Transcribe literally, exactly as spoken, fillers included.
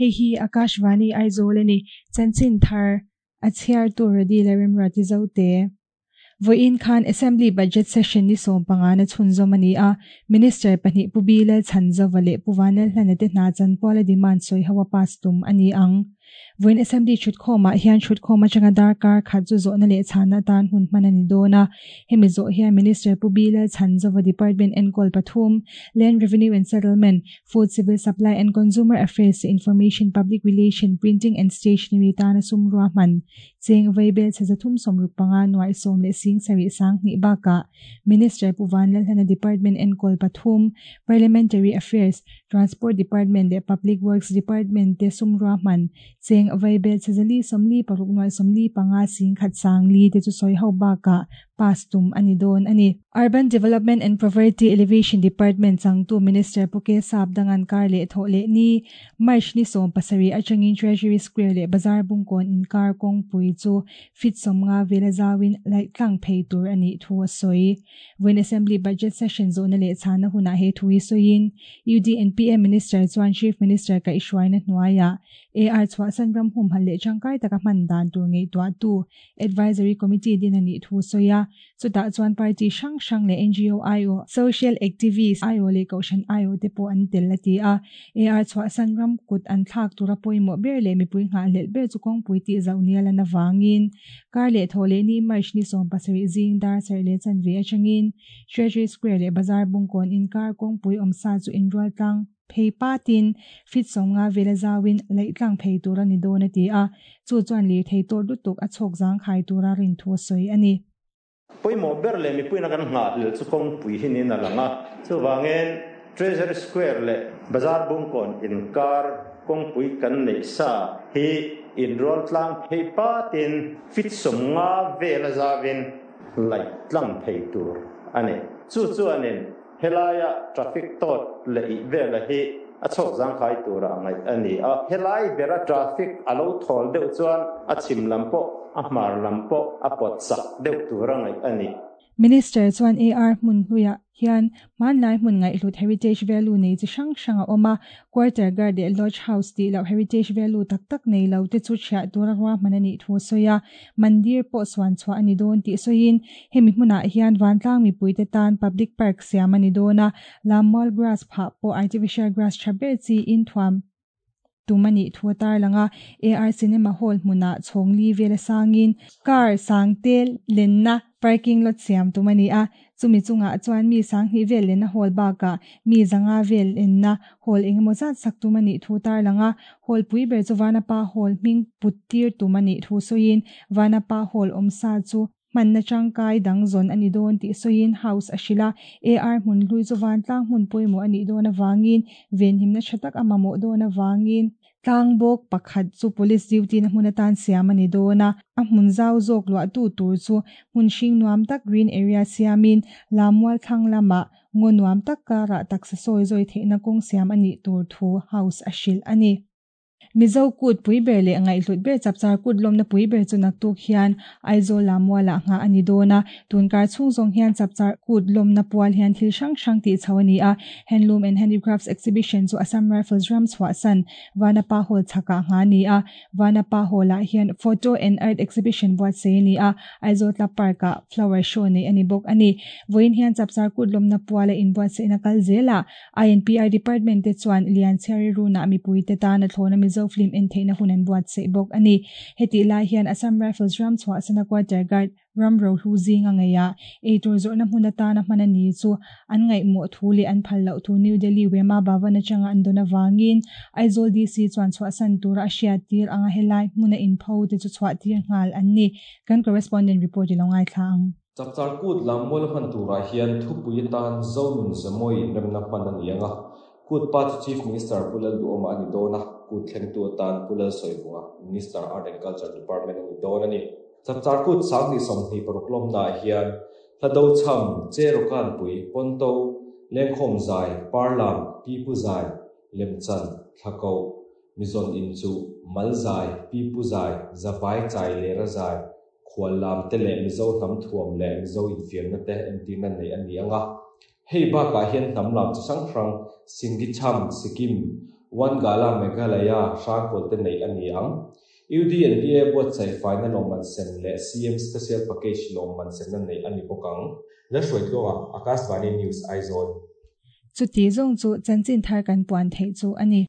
Hei hi Akashvani Aizawl a ni. Chanchin thar a chhiartu Radi Lalremruati Zote. Vawiin khan Assembly Budget Session ni sawm panga na chhunzawm a ni a, Minister pahnih Pu Bi Lalchhanzova leh Pu Vanlalhlana te hna chanpuala demand sawi ho a pass tum a ni ang. Vawiin Assembly thutkhawmah hian thutkhawm atanga darkar khat chu zawhna leh chhana atan hun hman a ni dawn a. Hemi zawh hian Minister Pu Bi Lalchhanzova Department enkawl pathum, Land Revenue and Settlement, Food Civil Supply and Consumer Affairs, Information Public Relation, Printing and Stationery tana sum ruahman cheng vaibel chhe zathum sawmruk panga nuai sawm leh sing sarih sang hnih bakah Minister Pu Vanlalhlana Department enkawl pathum, Parliamentary Affairs, Transport Department leh Public Works Department te sum ruahman cheng vaibel chhe zali sawmli paruk nuai sawmli panga sing khat sang li te chu sawi ho bakah pass tum a ni dawn a ni. Urban Development and Poverty Alleviation Department changtu Minister Pu K Sap dangan kar leh thawh leh ni March ni sawm pasarih atangin Treasury Square leh Bazar Bungkawn inkar kawngpui chu fit sawmnga vela zawin laih tlang phei tur a nih thu a sawi. Vawiin Assembly Budget Session zawhna leh chhana hunah he thu hi sawiin U D and P M Minister chuan Chief Minister kaihhruaina hnuaiah A R chhuahsan ram humhal leh tangkai taka hman dan tur ngaihtuah tu Advisory Committee din a nih thu sawi a. Chutah chuan party hrang hrang leh N G O I O, Social Activist I O leh Kohhran I O te pawh an tel a ti a. A R chhuahsan ram kut an thlak tura pawimawh ber leh mipui nghah hlelh ber chu kawngpui tih zauh nial an avangin kar leh thaw leh ni March ni sawm pasarih zing dar sarih leh chanve atangin Treasury Square leh Bazar Bungkawn inkar kawngpui awmsa chu inrual tlang phei patin fit sawmnga vela zawin laih tlang phei tur a ni dawn a ti a. Chu chuan lir thei tawr lutuk a chhawk zang khai tura rin thu a sawi a ni. Pawimawh ber leh mipuina kan nghah hlelh chu kawngpui hi niin a lang a. Chuvangin Treasury Square leh Bazar Bungkawn inkar kawngpui kan neih sa hi inrual tlang phei patin fit sawmnga vela zawin laih tlang phei tur a ni. Chu chuanin helaia traffic tawt leh ih vela hi a chhawk zang khai tura a ngaih a ni a. Helai bera traffic a lo thawl deuh chuan a chhim lam pawh a hmar lam pawh a pawt sak deuh tura ngaih a ni. Minister chuan A R hmun hluiah hian hmanlai hmun ngaihhlut heritage value nei chi hrang hrang a awm a. Quarter guard leh lodge house tih loh heritage value tak tak nei lo te chu chhiah tura ruahman a nih thu sawi a. Mandir pawh suan chhuah a ni dawn tih sawiin hemi hmunah hian vantlang mipui te tan public park siam a ni dawn a. Lammual grass phah pawh artificial grass tha ber chi in thuam tum a nih thu a tar lang a. A R Cinema Hall hmunah chhawngli vela sangin car sang te lenna parking lot siam tum a ni a. Chumi chungah chuan mi sang hnih vel lenna hall bakah mi zanga vel lenna hall engemaw zat sak tum a nih thu tar lang a. Hall pui ber chu Vanapa Hall hming put tir tum a nih thu sawiin Vanapa Hall awmsa chu hmanna tangkai dang zawn a ni dawn tih sawiin house a hrilh a. A R hmun hlui chu vantlang hmun pawimawh a nih dawn avangin venhimna tha tak a mamawh dawn avangin tlang bawk pakhat chu police duty na hmun atan siam a ni dawn a. A hmun zau zawk luah tu tur chu hmun hring nuam tak green area siamin lammual thlang lamah ngaw nuam tak karah taksa sawi zawi theihna kawng siam a nih tur thu house a hrilh a ni. Mizo kut pui ber leh ngaihhlut ber chapchar kut lawmna pui ber chu naktuk hian Aizawl lammualah nghah a ni dawn a. Tunkar chhung zawng hian chapchar kut lawmna pual hian thil hrang hrang tih chho a ni a. Handloom and Handicrafts Exhibition chu Assam Rifles ram chhuahsan Vanapa Hall chhakah ngha ni a. Vanapa Hall-ah hian Photo and Art Exhibition buatsaih a ni a. Aizawl Club Park-ah flower show nei a ni bawk a ni. Vawiin hian chapchar kut lawmna puala inbuatsaihna kal zelah I N P R Department te chuan Lianchhiari runah mipui te tan a thlawna Mizo film en theihna hun an buatsaih bawk a ni. Heti lai hian Assam Rifles ram chhuahsana quarter guard ram ro hlu zinga ngeiah eitur zawrhna hmun atana hman a ni chu an ngaihmawh thu leh an phal loh thu New Delhi Wema Bhavan atanga an dawn avangin Aizawl D C chuan chhuahsan tura a hriat tir anga helai hmuna inpho te chu chhuah tir nghal an ni. Kan correspondent report i lo ngai thla ang. Chapchar kut lammual hman turah hian thupui atan Zonun Zemawi remna hman a ni anga. Kut pa chu Chief Minister Pu Lalduhawma a ni dawn a. Kut thlengtu atan Pu Lalsawivunga, Minister Art and Culture Department a ni dawn a ni. Chapchar kut sang ni sawmhnih paruk lawmnaah hian hlado cham, cherokan pui, ponto, lengkhawm zai, parlam, pipu zai, lemchan, thlako, mizon in chu, mal zai, pipu zai, zavai chai lera zai, khual lam te leh mizo hnam thuam leh mizo infiamna te entirna nei a ni anga. Hei bakah hian hnam lam chu hrang hrang Singi cham, Sikkim, One Gala Meghalaya Hrangkhawl te neih a ni ang. U D and P A buatsaih faina lawmman sem leh C M Special Package lawmman semna neih a ni bawk ang. Lalhruaitluanga, Akashvani News, Aizawl. Chuti zawng chu chanchin thar kan puan theih chu a ni.